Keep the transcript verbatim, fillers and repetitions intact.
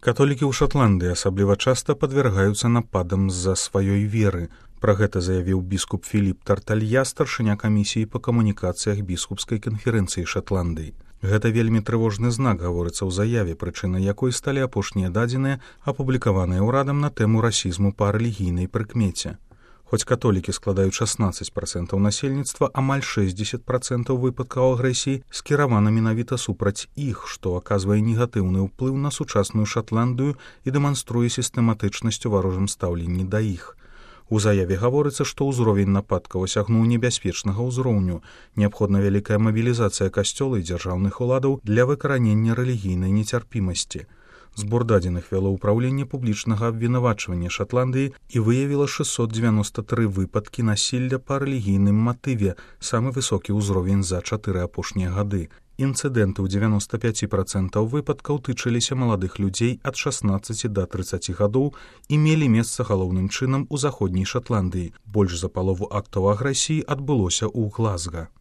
Католікі ў Шатландыі асабліва часта падвяргаюцца нападам з-за сваёй веры. Пра гэта заявіў біскуп Філіп Тарталья, старшыня камісіі па камунікацыях біскупскай канферэнцыі Шатландыі. Гэта вельмі трывожны знак, гаворыцца ў заяве, прычынай якой сталі апошнія дадзеныя, апублікаваныя ўрадам на тэму расізму па рэлігійнай прыкмеце. Хоць католікі складаюць шаснаццаць працэнтаў насельніцтва, амаль шэсцьдзесят працэнтаў выпадкаў агрэсіі скіравана менавіта супраць іх, што аказвае негатыўны ўплыў на сучасную Шатландыю і дэманструе сістэматычнасць у варожым стаўленні да іх. У заяве гаворыцца, што ўзровень нападкаў асягнуў небяспечнага ўзроўню. Неабходна вялікая мабілізацыя касцёла і дзяржаўных уладаў для выкаранення рэлігійнай нецярпімасці. Збор дадзеных вяло ўпраўленне публічнага абвінавачвання Шатландыі і выявіла шэсцьсот дзевяноста тры выпадкі насілля па рэлігійным матыве, самы высокі ўзровень за чатыры апошнія гады. Інцыдэнты ў дзевяноста пяць працэнтаў выпадкаў тычыліся маладых людзей ад шаснаццаці да трыццаці гадоў і мелі месца галоўным чынам у заходняй Шатландыі. Больш за палову актаў агрэсіі адбылося ў Глазга.